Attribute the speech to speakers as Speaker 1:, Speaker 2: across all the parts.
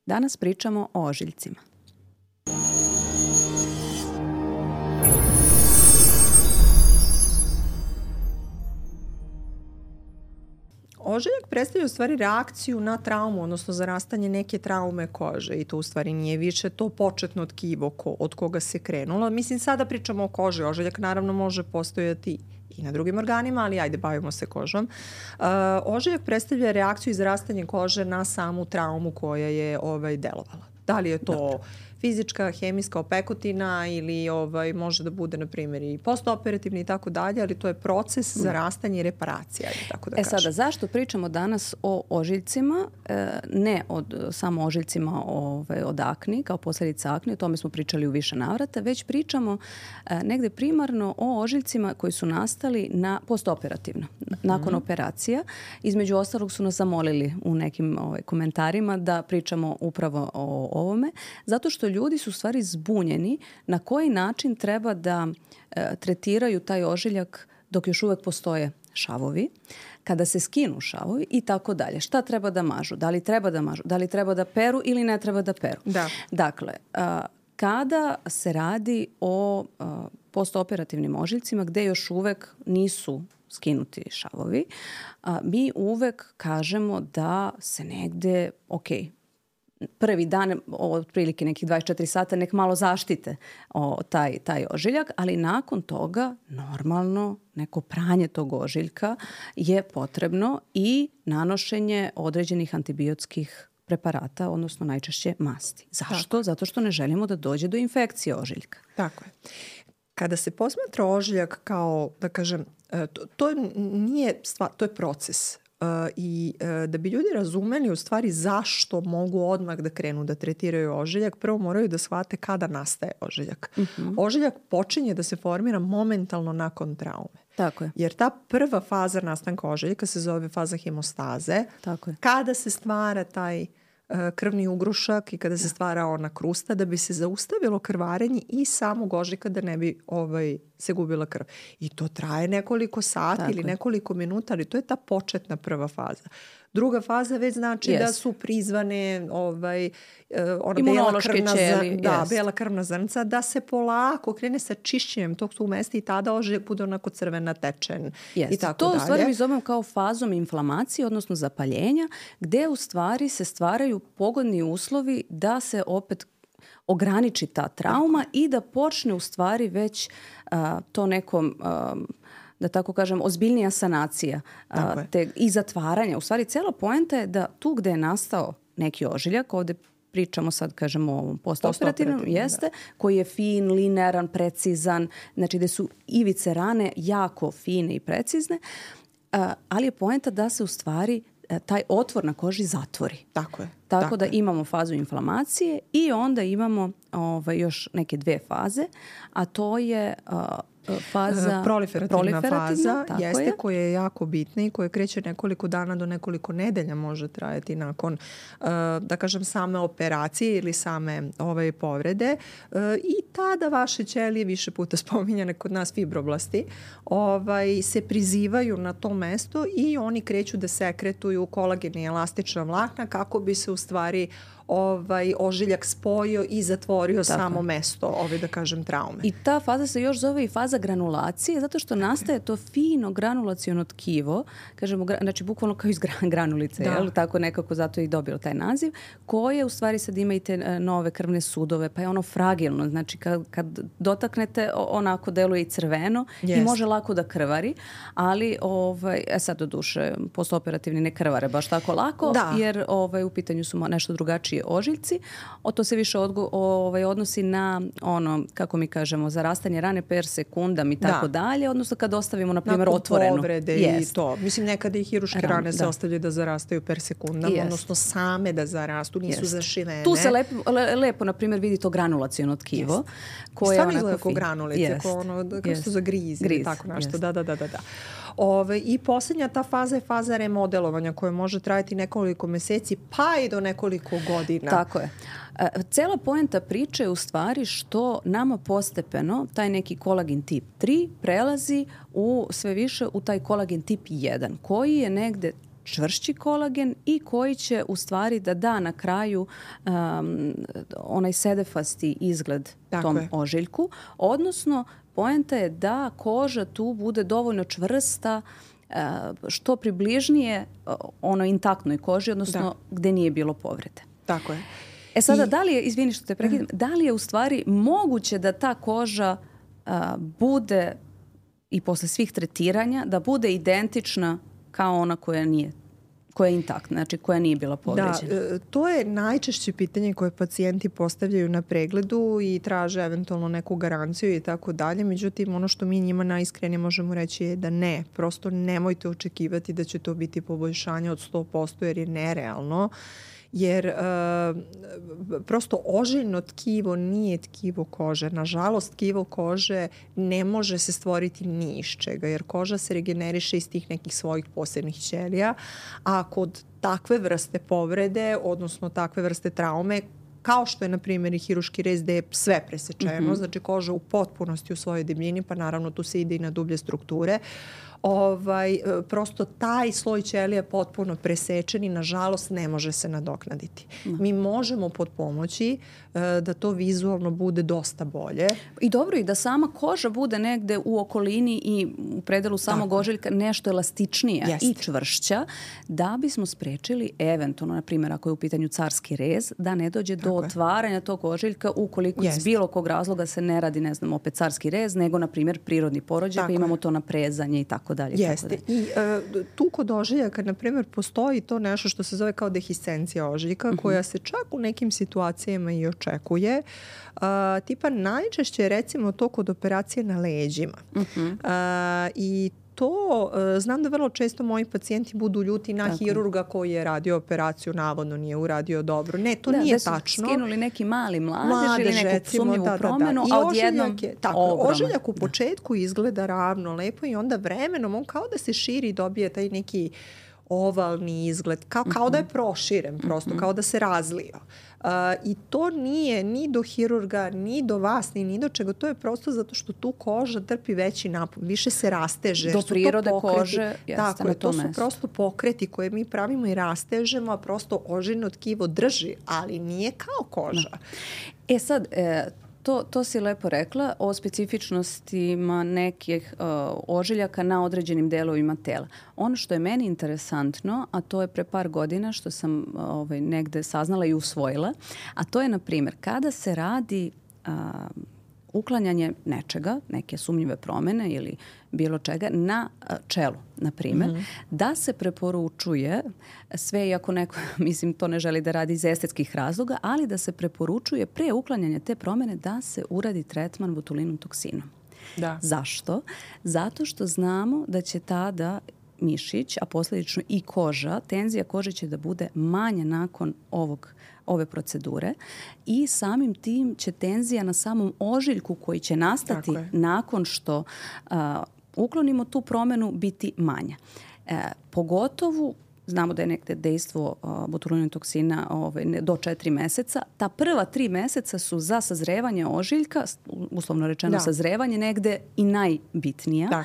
Speaker 1: Danas pričamo o ožiljcima.
Speaker 2: Ožiljak predstavlja u stvari reakciju na traumu, odnosno zarastanje neke traume kože i to u stvari nije više to početno tkivo od koga se krenulo. Mislim, sada pričamo o koži. Ožiljak naravno može postojati i na drugim organima, ali ajde, bavimo se kožom. Ožiljak predstavlja reakciju i zarastanje kože na samu traumu koja je delovala. Da li je to fizička, hemijska opekutina ili može da bude, na primjer, i postoperativni i tako dalje, ali to je proces zarastanja i reparacija. Tako da
Speaker 1: sada, zašto pričamo danas o ožiljcima? Ne samo ožiljcima od akni, kao posljedica akne, o tome smo pričali u više navrata, već pričamo negde primarno o ožiljcima koji su nastali postoperativno, nakon operacija. Između ostalog su nas zamolili u nekim komentarima da pričamo upravo o ovome, zato što ljudi su u stvari zbunjeni na koji način treba da tretiraju taj ožiljak dok još uvek postoje šavovi, kada se skinu šavovi i tako dalje. Šta treba da mažu? Da li treba da mažu? Da li treba da peru ili ne treba da peru?
Speaker 2: Da.
Speaker 1: Dakle, kada se radi o postoperativnim ožiljcima gde još uvek nisu skinuti šavovi, mi uvek kažemo da se negde, prvi dan, otprilike nekih 24 sata, nek malo zaštite taj ožiljak, ali nakon toga normalno neko pranje tog ožiljka je potrebno i nanošenje određenih antibiotskih preparata, odnosno najčešće masti. Zašto?
Speaker 2: Tako.
Speaker 1: Zato što ne želimo da dođe do infekcije ožiljka.
Speaker 2: Tako je. Kada se posmatra ožiljak kao, da kažem, to nije stvar, to je proces. I da bi ljudi razumeli u stvari zašto mogu odmah da krenu da tretiraju ožiljak, prvo moraju da shvate kada nastaje ožiljak. Ožiljak počinje da se formira momentalno nakon traume.
Speaker 1: Tako je.
Speaker 2: Jer ta prva faza nastanka ožiljka se zove faza hemostaze.
Speaker 1: Tako je.
Speaker 2: Kada se stvara taj krvni ugrušak i kada se stvara ona krusta da bi se zaustavilo krvarenje i samog ožiljka da ne bi se gubila krv. I to traje nekoliko sati ili nekoliko minuta, ali to je ta početna prva faza. Druga faza već znači da su prizvane bela krvna zrnca, da se polako krene sa čišćenjem tog su mesta i tada ožiljak bude onako crvena, tečen i tako
Speaker 1: to
Speaker 2: dalje.
Speaker 1: U stvari mi zovemo kao fazom inflamacije, odnosno zapaljenja, gde u stvari se stvaraju pogodni uslovi da se opet ograniči ta trauma i da počne u stvari već to nekom da tako kažem, ozbiljnija sanacija i zatvaranja. U stvari, cela poenta je da tu gde je nastao neki ožiljak, ovde pričamo sad, kažemo, o ovom postoperativnom, koji je fin, linearan, precizan, znači gde su ivice rane jako fine i precizne, ali je poenta da se u stvari taj otvor na koži zatvori. Tako da imamo fazu inflamacije i onda imamo još neke dve faze, a to je faza
Speaker 2: proliferativna faza jeste koja je jako bitna i koja kreće nekoliko dana do nekoliko nedelja može trajati nakon da kažem same operacije ili same povrede i tada vaše ćelije, više puta spominjane kod nas fibroblasti, se prizivaju na to mesto i oni kreću da sekretuju kolagen i elastična vlakna kako bi se u stvari ožiljak spojio i zatvorio samo mesto da kažem traume.
Speaker 1: I ta faza se još zove i faza granulacije zato što nastaje to fino granulaciono tkivo, kažemo, znači bukvalno kao iz granulice, tako nekako zato je i dobilo taj naziv, koje u stvari sad ima i te nove krvne sudove, pa je ono fragilno, znači kad dotaknete onako deluje i crveno i može lako da krvari, ali sad do duše postoperativni ne krvare baš tako lako, jer u pitanju su nešto drugačije ožiljci. To se više odnosi na ono, kako mi kažemo, zarastanje rane per sekundam i tako dalje, odnosno kad ostavimo, na primjer, otvorenu.
Speaker 2: Nakon povrede i to. Mislim, nekada i hiruške rane se ostavljaju da zarastaju per sekundam, odnosno same da zarastu, nisu zašivene.
Speaker 1: Tu se lepo, na primjer, vidi to granulaciono tkivo.
Speaker 2: Stvarno izgleda kao granulice, kao su za grizi, tako nešto. Da. I posljednja ta faza je faza remodelovanja koja može trajati nekoliko meseci pa i do nekoliko godina.
Speaker 1: Tako je. Cela poenta priče je u stvari što nama postepeno taj neki kolagen tip 3 prelazi sve više u taj kolagen tip 1 koji je negde čvršći kolagen i koji će u stvari da da na kraju onaj sedefasti izgled tom ožiljku. Odnosno, poenta je da koža tu bude dovoljno čvrsta, što približnije ono intaktnoj koži, odnosno gde nije bilo povrede.
Speaker 2: Tako je.
Speaker 1: Sada, da li je, izvini što te prekidam, da li je u stvari moguće da ta koža bude i posle svih tretiranja, da bude identična kao ona koja je intaktna, znači koja nije bila povređena?
Speaker 2: Da, to je najčešće pitanje koje pacijenti postavljaju na pregledu i traže eventualno neku garanciju i tako dalje. Međutim, ono što mi njima najiskrenije možemo reći je da ne. Prosto nemojte očekivati da će to biti poboljšanje od 100% jer je nerealno. Jer prosto ožiljno tkivo nije tkivo kože. Nažalost, tkivo kože ne može se stvoriti ni iz čega, jer koža se regeneriše iz tih nekih svojih posebnih ćelija, a kod takve vrste povrede, odnosno takve vrste traume, kao što je, na primjer, i hiruški rez gde je sve presečeno, znači koža u potpunosti u svojoj debljini, pa naravno tu se ide i na dublje strukture, prosto taj sloj ćelija je potpuno presečen i nažalost ne može se nadoknaditi. Mi možemo potpomoći da to vizualno bude dosta bolje.
Speaker 1: I dobro, i da sama koža bude negde u okolini i u predelu samog ožiljka nešto elastičnija i čvršća, da bismo sprečili eventualno, na primjer, ako je u pitanju carski rez, da ne dođe do otvaranja tog ožiljka ukoliko iz bilo kog razloga se ne radi, ne znam, opet carski rez, nego, na primjer, prirodni porođaj, pa imamo to naprezanje i tako dalje.
Speaker 2: Jeste. I tu kod ožiljaka, na primjer, postoji to nešto što se zove kao dehiscencija ožiljka, koja se čak u nekim situacijama i očekuje. Tipa najčešće je recimo to kod operacije na leđima. I to, znam da vrlo često moji pacijenti budu ljuti na hirurga koji je radio operaciju, navodno nije uradio dobro. Ne, to nije tačno.
Speaker 1: Da su skinuli neki mali mladež ili neku sumnjivu promenu, a odjednom
Speaker 2: ožiljak u početku izgleda ravno, lepo i onda vremenom on kao da se širi i dobije taj neki ovalni izgled, kao da je proširen prosto, kao da se razlio. I to nije ni do hirurga, ni do vas, ni do čega. To je prosto zato što tu koža trpi veći napon, više se rasteže.
Speaker 1: Do prirode kože, jeste na
Speaker 2: to su prosto pokreti koje mi pravimo i rastežemo, a prosto ožiljno tkivo drži, ali nije kao koža.
Speaker 1: Sad, to si lepo rekla o specifičnostima nekih ožiljaka na određenim delovima tela. Ono što je meni interesantno, a to je pre par godina što sam negde saznala i usvojila, a to je, na primjer, kada se radi uklanjanje nečega, neke sumnjive promene ili bilo čega na čelu, na primjer, da se preporučuje, sve iako neko, mislim, to ne želi da radi iz estetskih razloga, ali da se preporučuje pre uklanjanja te promene da se uradi tretman botulinom toksinom. Zašto? Zato što znamo da će tada mišić, a posljedično i koža, tenzija kože će da bude manja nakon ove procedure i samim tim će tenzija na samom ožiljku koji će nastati nakon što uklonimo tu promenu biti manja. Pogotovo znamo da je nekde dejstvo botulinovog toksina do 4 meseca. Ta prva 3 meseca su za sazrevanje ožiljka, uslovno rečeno sazrevanje, negde i najbitnija.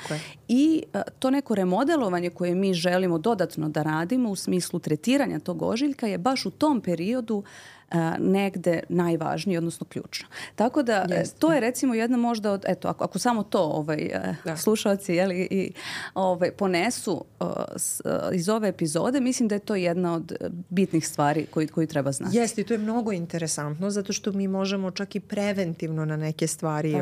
Speaker 1: I to neko remodelovanje koje mi želimo dodatno da radimo u smislu tretiranja tog ožiljka je baš u tom periodu negde najvažnije, odnosno ključno. Tako da to je recimo jedna možda od, eto, ako samo to slušalci ponesu iz ove epizode, mislim da je to jedna od bitnih stvari koju treba znati.
Speaker 2: Jeste, i to je mnogo interesantno zato što mi možemo čak i preventivno na neke stvari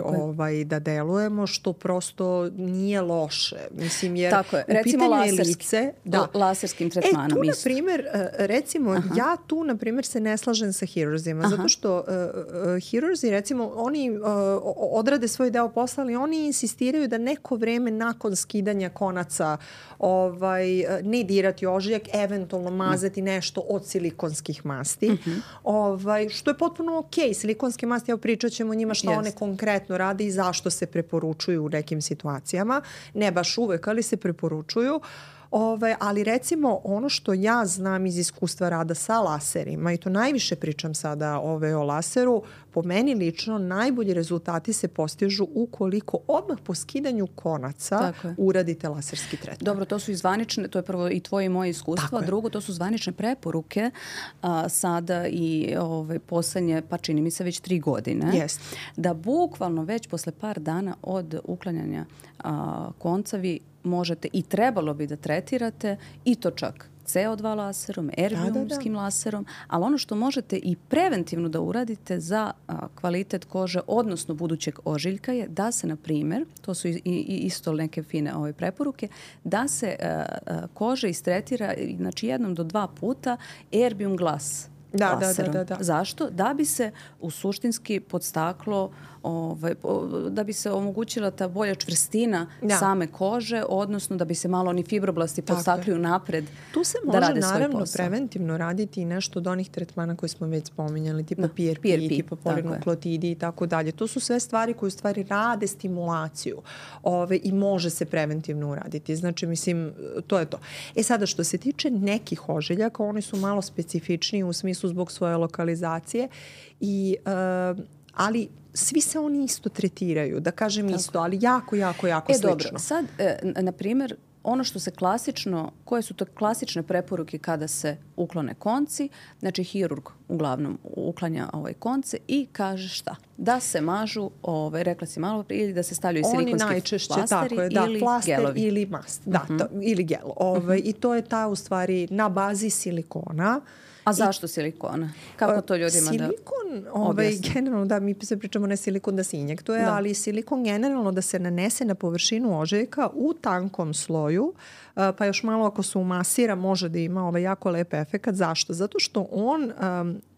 Speaker 2: da delujemo, što prosto nije loše. Mislim, jer
Speaker 1: recimo
Speaker 2: lice,
Speaker 1: laserskim tretmanom.
Speaker 2: Tu, na primjer, recimo, ja tu, na primjer, se ne slažem sa hirurzima, zato što hirurzi, recimo, oni odrade svoj deo posla, ali oni insistiraju da neko vreme nakon skidanja konaca ne dirati ožiljak, eventualno mazati nešto od silikonskih masti, što je potpuno okej. Silikonske masti, evo pričat ćemo o njima šta one konkretno rade i zašto se preporučuju u nekim situacijama. Ne baš uvek, ali se preporučuju. Ali recimo ono što ja znam iz iskustva rada sa laserima, i to najviše pričam sada o laseru, po meni lično najbolji rezultati se postižu ukoliko odmah po skidanju konaca uradite laserski tretman.
Speaker 1: Dobro, to su i zvanične, to je prvo i tvoje i moje iskustvo, a drugo to su zvanične preporuke sada i poslednje, pa čini mi se već 3 godine, da bukvalno već posle par dana od uklanjanja konca vi možete i trebalo bi da tretirate i to čak CO2 laserom, erbiumskim laserom, ali ono što možete i preventivno da uradite za kvalitet kože, odnosno budućeg ožiljka je da se, na primjer, to su isto neke fine preporuke, da se koža istretira, znači 1 do 2 puta erbium glas laserom. Zašto? Da bi se u suštinski podstaklo, da bi se omogućila ta bolja čvrstina same kože, odnosno da bi se malo oni fibroblasti podstakli unapred da rade svoj posao.
Speaker 2: Tu se može naravno preventivno raditi i nešto od onih tretmana koje smo već spominjali, tipa PRP, tipa polinukleotidi i tako dalje. To su sve stvari koje u stvari rade stimulaciju i može se preventivno uraditi. Znači, mislim, to je to. Sada, što se tiče nekih ožiljaka, oni su malo specifičniji u smislu zbog svoje lokalizacije, ali svi se oni isto tretiraju, da kažem isto, ali jako slično.
Speaker 1: Dobro, sad, na primjer, ono što se klasično, koje su to klasične preporuke kada se uklone konci, znači hirurg uglavnom uklanja konce i kaže šta? Da se mažu, rekla si malo prije, ili da se stavljaju silikonski flasteri ili gelovi.
Speaker 2: Ili mast, ili gel. I to je ta u stvari na bazi silikona.
Speaker 1: A zašto silikona? Kako to ljudima
Speaker 2: silikon, generalno, mi se pričamo ne silikon da se injektuje, ali silikon generalno da se nanese na površinu ožiljka u tankom sloju, pa još malo ako se umasira može da ima jako lep efekat. Zašto? Zato što on,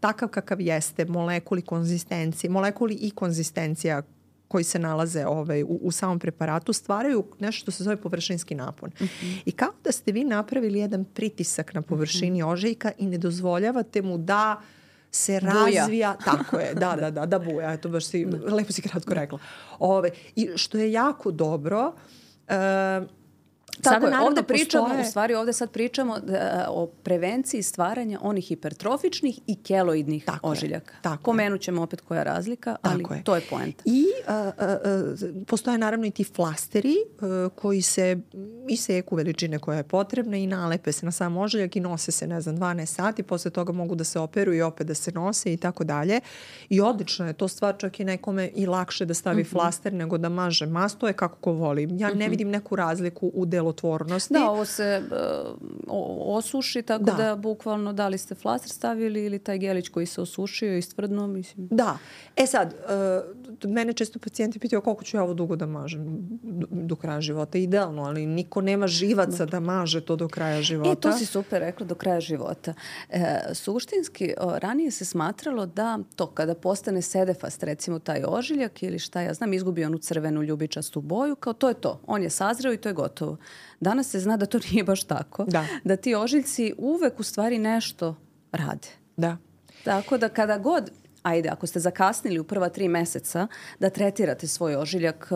Speaker 2: takav kakav jeste, molekuli i konzistencija koji se nalaze u samom preparatu stvaraju nešto što se zove površinski napon. I kao da ste vi napravili jedan pritisak na površini ožiljka i ne dozvoljavate mu da se razvija. Tako je, da buja. Eto, baš lepo si kratko rekla. I što je jako dobro,
Speaker 1: Tako je, ovdje sad pričamo o prevenciji stvaranja onih hipertrofičnih i keloidnih ožiljaka. Pomenut ćemo opet koja je razlika, ali to je poenta.
Speaker 2: I postoje naravno i ti flasteri koji se iseku veličine koja je potrebna i nalepe se na sam ožiljak i nose se, 12 sati, posle toga mogu da se operuju i opet da se nose i tako dalje. I odlično je to stvar, čak i nekome i lakše da stavi flaster nego da maže mast, to je kako ko voli. Ja ne vidim neku razliku u delotvornosti.
Speaker 1: Da, ovo se osuši, tako da bukvalno da li ste flaster stavili ili taj gelić koji se osušio i stvrdno, mislim.
Speaker 2: Da. Sad, mene često pacijenti pitaju koliko ću ja ovo dugo da mažem do kraja života. Idealno, ali niko nema živaca da maže to do kraja života.
Speaker 1: To si super rekla, do kraja života. Suštinski, ranije se smatralo da to kada postane sedefast, recimo taj ožiljak ili šta ja znam, izgubi onu crvenu ljubičastu boju, kao to je to. On je sazreo i to je gotovo. Danas se zna da to nije baš tako. Da ti ožiljci uvek u stvari nešto rade.
Speaker 2: Da.
Speaker 1: Tako da kada god, ako ste zakasnili u prva 3 meseca da tretirate svoj ožiljak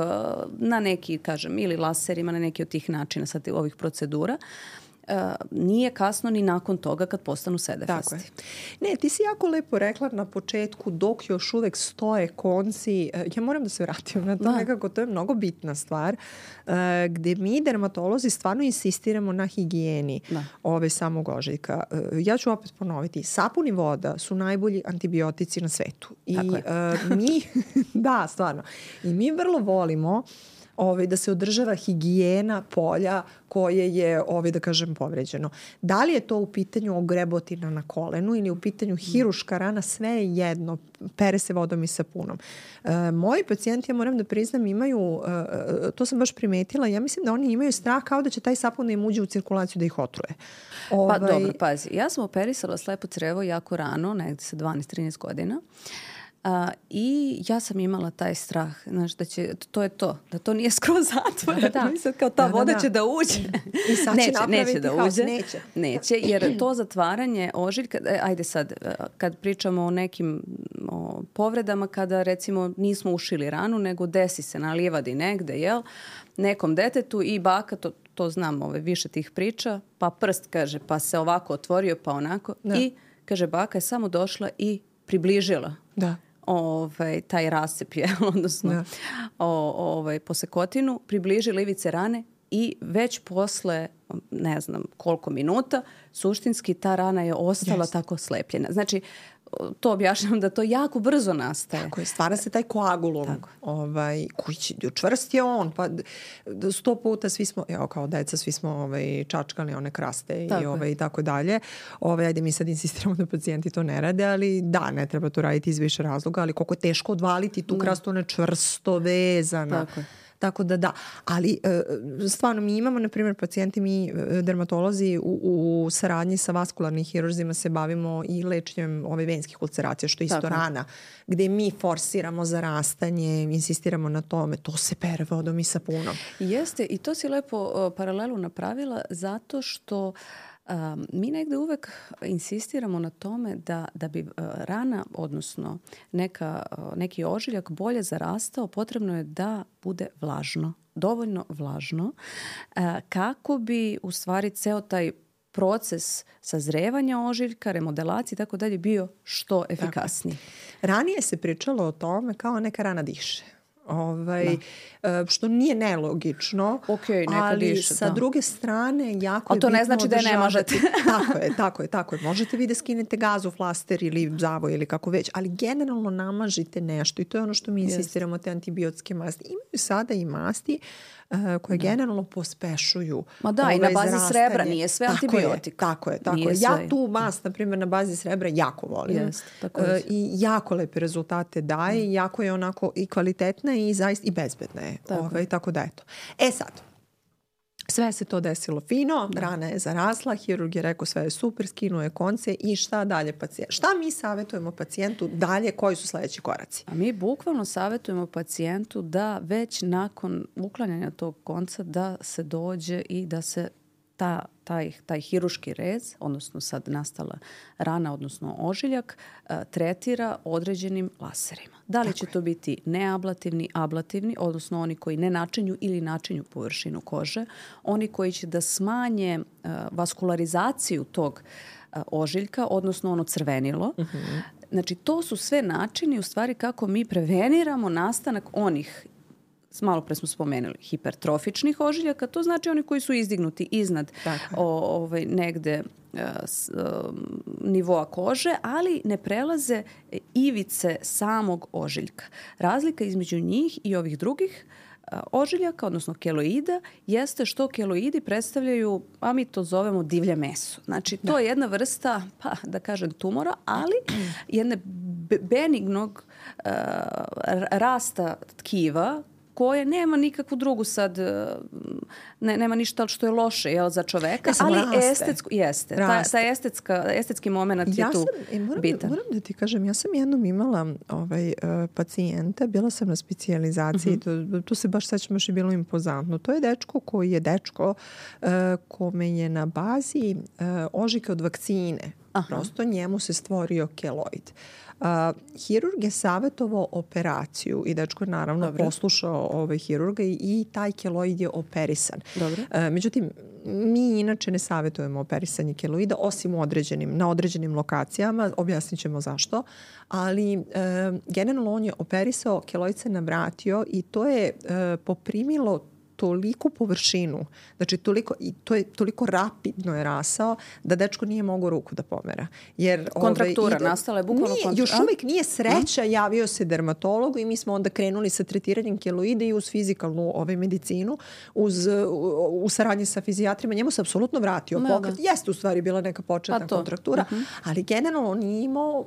Speaker 1: na neki, kažem, ili laserima, na neki od tih načina sad ovih procedura, nije kasno ni nakon toga kad postanu sedefasti.
Speaker 2: Ne, ti si jako lepo rekla na početku, dok još uvek stoje konci, ja moram da se vratim na to nekako, to je mnogo bitna stvar, gde mi dermatolozi stvarno insistiramo na higijeni samog ožiljka. Ja ću opet ponoviti, sapun i voda su najbolji antibiotici na svetu. I mi, da, stvarno, i mi vrlo volimo da se održava higijena polja koje je, da kažem, povređeno. Da li je to u pitanju ogrebotina na kolenu ili u pitanju hiruška rana, sve je jedno. Pere se vodom i sapunom. Moji pacijenti, ja moram da priznam, imaju, to sam baš primetila, ja mislim da oni imaju strah kao da će taj sapun da im uđe u cirkulaciju da ih otruje.
Speaker 1: Pa dobro, pazi, ja sam operisala slepo crevo jako rano, negdje sa 12-13 godina. I ja sam imala taj strah, znaš, da će, to je to, da to nije skroz zatvoreno. Mislim, kao ta voda će da uđe.
Speaker 2: I sad će napraviti haos.
Speaker 1: Neće, jer to zatvaranje ožiljka, ajde sad, kad pričamo o nekim povredama kada recimo nismo ušili ranu, nego desi se na livadi negde, jel, nekom detetu i baka, to znam, više tih priča, pa prst, kaže, pa se ovako otvorio, pa onako. Da. I, kaže, baka je samo došla i približila taj rascep, odnosno posekotinu, približila ivice rane i već posle, ne znam koliko minuta, suštinski ta rana je ostala tako slepljena. Znači, to objašnjam da to jako brzo nastaje.
Speaker 2: Tako je, stvara se taj koagulum, koji će, čvrst je on, pa 100 puta svi smo, kao deca, svi smo čačkali one kraste i tako dalje. Ajde, mi sad insistiramo da pacijenti to ne rade, ali da, ne treba to raditi iz više razloga, ali koliko je teško odvaliti tu krastu, ona je čvrsto vezana.
Speaker 1: Tako je.
Speaker 2: Tako da, ali stvarno mi imamo, na primjer, pacijenti, mi dermatolozi u saradnji sa vaskularnim hirurzima se bavimo i lečenjem venskih ulceracija, što je isto rana, gde mi forsiramo zarastanje, insistiramo na tome, to se pere vodom i sapunom.
Speaker 1: Jeste, i to si lepo paralelu napravila zato što mi negde uvek insistiramo na tome da bi rana, odnosno neki ožiljak bolje zarastao, potrebno je da bude vlažno, dovoljno vlažno, kako bi u stvari ceo taj proces sazrevanja ožiljka, remodelacije i tako dalje bio što efikasniji.
Speaker 2: Ranije se pričalo o tome kao neka rana diše. Što nije nelogično, ali sa druge strane jako je bitno.
Speaker 1: To ne znači da je ne možete.
Speaker 2: Tako je. Možete vi da skinete gazu, flaster ili zavoj ili kako već, ali generalno namažite nešto i to je ono što mi insistiramo, te antibiotske masti. Imaju sada i masti koje generalno pospešuju.
Speaker 1: Ma da, i na bazi srebra, nije sve antibiotik.
Speaker 2: Tako je. Ja tu mast, na primjer, na bazi srebra jako volim. I jako lepe rezultate daje, jako je onako i kvalitetna i zaista i bezbedna je. Tako da eto. Sad, sve se to desilo fino, rana je zarasla, hirurg je rekao sve je super, skinuo je konce i šta dalje pacijent? Šta mi savjetujemo pacijentu dalje, koji su sledeći koraci?
Speaker 1: A mi bukvalno savjetujemo pacijentu da već nakon uklanjanja tog konca da se dođe i da se taj hiruški rez, odnosno sad nastala rana, odnosno ožiljak, tretira određenim laserima. Da li će to biti neablativni, ablativni, odnosno oni koji ne načinju ili načinju površinu kože, oni koji će da smanje vaskularizaciju tog ožiljka, odnosno ono crvenilo. Znači, to su sve načini u stvari kako mi preveniramo nastanak onih, malo pre smo spomenuli, hipertrofičnih ožiljaka, to znači oni koji su izdignuti iznad negde nivoa kože, ali ne prelaze ivice samog ožiljka. Razlika između njih i ovih drugih ožiljaka, odnosno keloida, jeste što keloidi predstavljaju, a mi to zovemo divlje meso. Znači, to je jedna vrsta, da kažem, tumora, ali jedne benignog rasta tkiva koje nema nikakvu drugu sad, nema ništa što je loše za čoveka, ali estetsko jeste. Taj estetski moment je tu bitan.
Speaker 2: Moram da ti kažem, ja sam jednom imala pacijenta, bila sam na specijalizaciji, tu se baš sećam, još je bilo impozantno. To je dečko koji je kome je na bazi ožiljka od vakcine. Prosto njemu se stvorio keloid. Hirurg je savjetovao operaciju i dečko je naravno poslušao hirurga i taj keloid je operisan. Međutim, mi inače ne savjetujemo operisanje keloida, osim na određenim lokacijama, objasnit ćemo zašto, ali generalno on je operisao, keloid se navratio i to je poprimilo toliku površinu, znači toliko rapidno je rasao da dečko nije mogao ruku da pomera.
Speaker 1: Kontraktura nastala je bukvalno kontraktura.
Speaker 2: Još uvijek nije sreća, javio se dermatologu i mi smo onda krenuli sa tretiranjem keloida i uz fizikalnu medicinu, u saradnji sa fizijatrima. Njemu se apsolutno vratio pokret. Jeste u stvari bila neka početna kontraktura, ali generalno on nije imao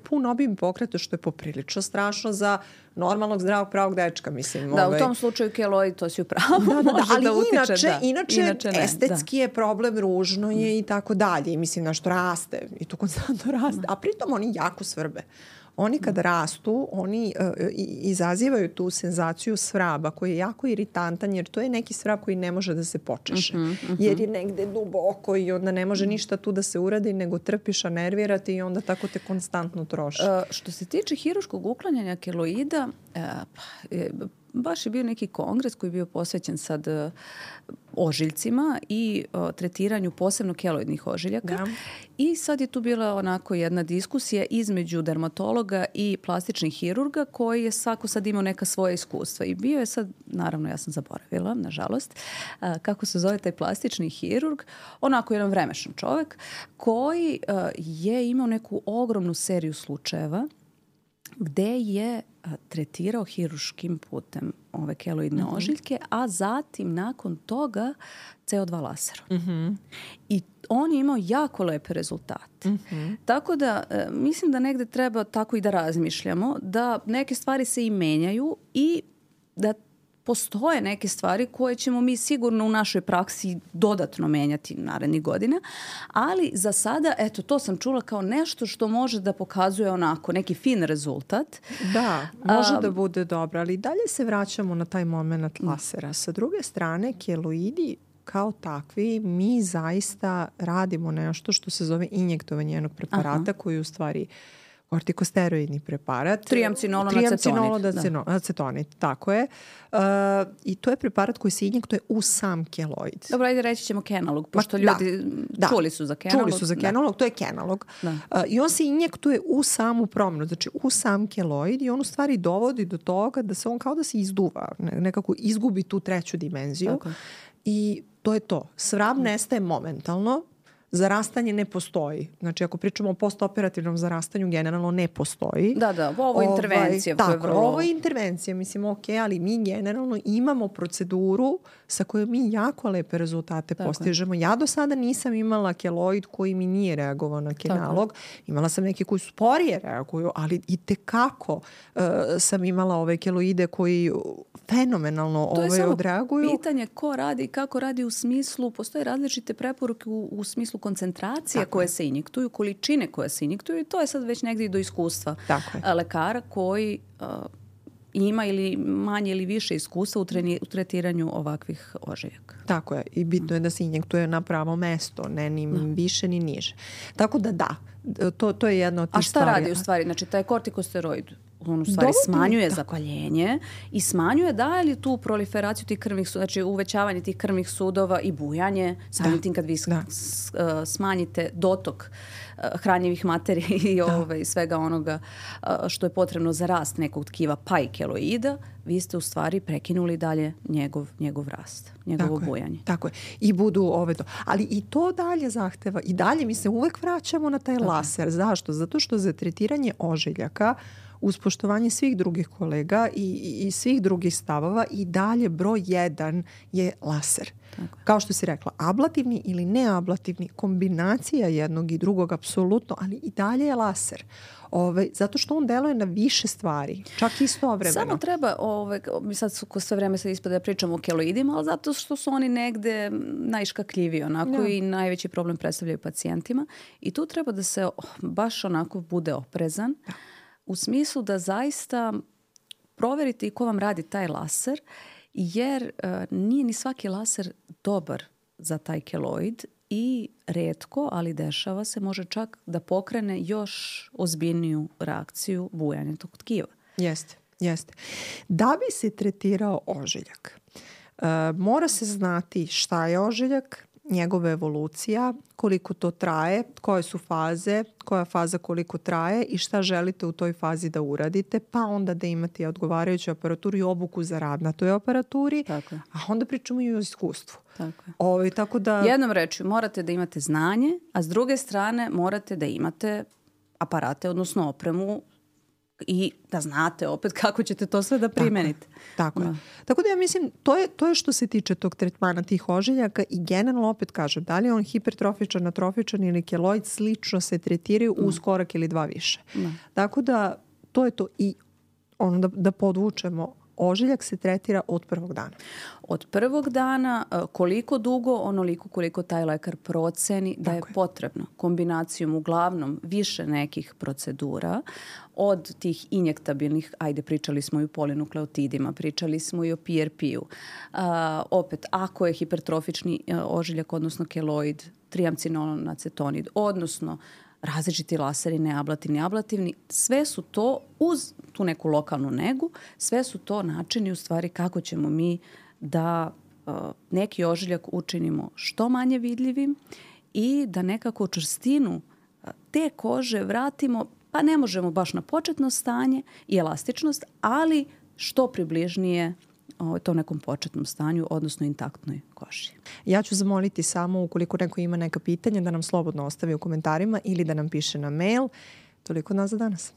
Speaker 2: pun obim pokreta, što je poprilično strašno za normalnog, zdravog, pravog dečka, mislim.
Speaker 1: Da, u tom slučaju keloid, to si upravo.
Speaker 2: Ali inače estetski je problem, ružno je i tako dalje. I mislim, nešto raste i to konstantno raste. A pritom oni jako svrbe. oni kad rastu, oni izazivaju tu senzaciju svraba koji je jako iritantan jer to je neki svrab koji ne može da se počeše. Jer je negde duboko i onda ne može ništa tu da se uradi nego trpiš, a nervirati i onda tako te konstantno troši.
Speaker 1: Što se tiče hirurškog uklanjanja keloida, baš je bio neki kongres koji je bio posvećen sad ožiljcima i tretiranju posebno keloidnih ožiljaka.
Speaker 2: Da.
Speaker 1: I sad je tu bila onako jedna diskusija između dermatologa i plastičnih hirurga koji je svako sad imao neka svoja iskustva. I bio je sad, naravno ja sam zaboravila, nažalost, kako se zove taj plastični hirurg, onako jedan vremešan čovek koji je imao neku ogromnu seriju slučajeva gde je tretirao hirurškim putem ove keloidne ožiljke, a zatim nakon toga CO2 laserom. I on je imao jako lepe rezultate. Tako da mislim da negde treba tako i da razmišljamo, da neke stvari se i menjaju i da postoje neke stvari koje ćemo mi sigurno u našoj praksi dodatno menjati narednih godina, ali za sada, eto, to sam čula kao nešto što može da pokazuje onako neki fin rezultat.
Speaker 2: Da, može da bude dobro, ali dalje se vraćamo na taj moment lasera. Sa druge strane, keloidi kao takvi, mi zaista radimo nešto što se zove injektovanje jednog preparata koji u stvari kortikosteroidni preparat. Triamcinolonacetonid, tako je. I to je preparat koji se injektuje u sam keloid.
Speaker 1: Dobro, ajde reći ćemo kenalog, pošto ljudi čuli su za kenalog.
Speaker 2: Čuli su za kenalog, to je kenalog. I on se injektuje u samu promjenu, znači u sam keloid i on u stvari dovodi do toga da se on kao da se izduva, nekako izgubi tu treću dimenziju. Tako. I to je to. Svrab nestaje momentalno, zarastanje ne postoji. Znači, ako pričamo o postoperativnom zarastanju, generalno ne postoji.
Speaker 1: Da, ovo je intervencija.
Speaker 2: Tako, ovo je intervencija, mislim, ok, ali mi generalno imamo proceduru sa kojom mi jako lepe rezultate postižemo. Ja do sada nisam imala keloid koji mi nije reagovao na kenalog. Imala sam neke koji sporije reaguju, ali i tekako sam imala ove keloide koji fenomenalno odreaguju.
Speaker 1: To je samo pitanje ko radi i kako radi u smislu, postoje različite preporuke u smislu koncentracije koje se injektuju, količine koje se injektuju i to je sad već negdje do iskustva lekara koji ima ili manje ili više iskustva u tretiranju ovakvih ožiljaka.
Speaker 2: Tako je. I bitno je da se injektuje na pravo mesto, ne ni više ni niže. Tako da, to je jedna od tih stvari.
Speaker 1: A šta radi u stvari? Znači, taj kortikosteroid on u stvari smanjuje zapaljenje i smanjuje daje li tu proliferaciju tih krvnih sudova, znači uvećavanje tih krvnih sudova i bujanje, samim tim kad vi smanjite dotok hranjivih materija i svega onoga što je potrebno za rast nekog tkiva pa i keloida, vi ste u stvari prekinuli dalje njegov rast, njegovo bujanje.
Speaker 2: Tako je. I budu ali i to dalje zahteva i dalje mi se uvek vraćamo na taj laser. Zašto? Zato što za tretiranje ožiljaka uz poštovanje svih drugih kolega i svih drugih stavova i dalje broj 1 je laser. Tako. Kao što si rekla, ablativni ili neablativni, kombinacija jednog i drugog apsolutno, ali i dalje je laser. Zato što on deluje na više stvari, čak istovremeno.
Speaker 1: Samo treba, sad sve vreme se ispada da pričamo o keloidima, ali zato što su oni negde najškakljiviji onako i najveći problem predstavljaju pacijentima. I tu treba da se baš onako bude oprezan. U smislu da zaista proverite i ko vam radi taj laser, jer nije ni svaki laser dobar za taj keloid i retko, ali dešava se, može čak da pokrene još ozbiljniju reakciju bujanja tog tkiva.
Speaker 2: Jeste. Da bi se tretirao ožiljak, mora se znati šta je ožiljak, njegova evolucija, koliko to traje, koje su faze, koja faza koliko traje i šta želite u toj fazi da uradite, pa onda da imate odgovarajuću aparaturu i obuku za rad na toj aparaturi, a onda pričamo i o iskustvu. Tako da...
Speaker 1: Jednom rečju, morate da imate znanje, a s druge strane morate da imate aparate, odnosno opremu i da znate opet kako ćete to sve da primenite.
Speaker 2: Tako je. Tako da ja mislim, to je što se tiče tog tretmana tih ožiljaka i generalno opet kažem, da li je on hipertrofičan, atrofičan ili keloid, slično se tretiraju uz korak ili dva više. Tako da to je to i ono da podvučemo, ožiljak se tretira od prvog dana?
Speaker 1: Od prvog dana, koliko dugo, onoliko koliko taj lekar proceni da je potrebno. Kombinacijom uglavnom više nekih procedura, od tih injektabilnih, ajde pričali smo i o polinukleotidima, pričali smo i o PRP-u. Opet, ako je hipertrofični ožiljak, odnosno keloid, triamcinolon acetonid, odnosno različiti laseri, neablativni, ablativni, sve su to uz tu neku lokalnu negu, sve su to načini u stvari kako ćemo mi da neki ožiljak učinimo što manje vidljivim i da nekako čvrstinu te kože vratimo, pa ne možemo baš na početno stanje i elastičnost, ali što približnije to nekom početnom stanju, odnosno intaktnoj koži.
Speaker 2: Ja ću zamoliti samo, ukoliko neko ima neka pitanja, da nam slobodno ostavi u komentarima ili da nam piše na mail. Toliko od nas za danas.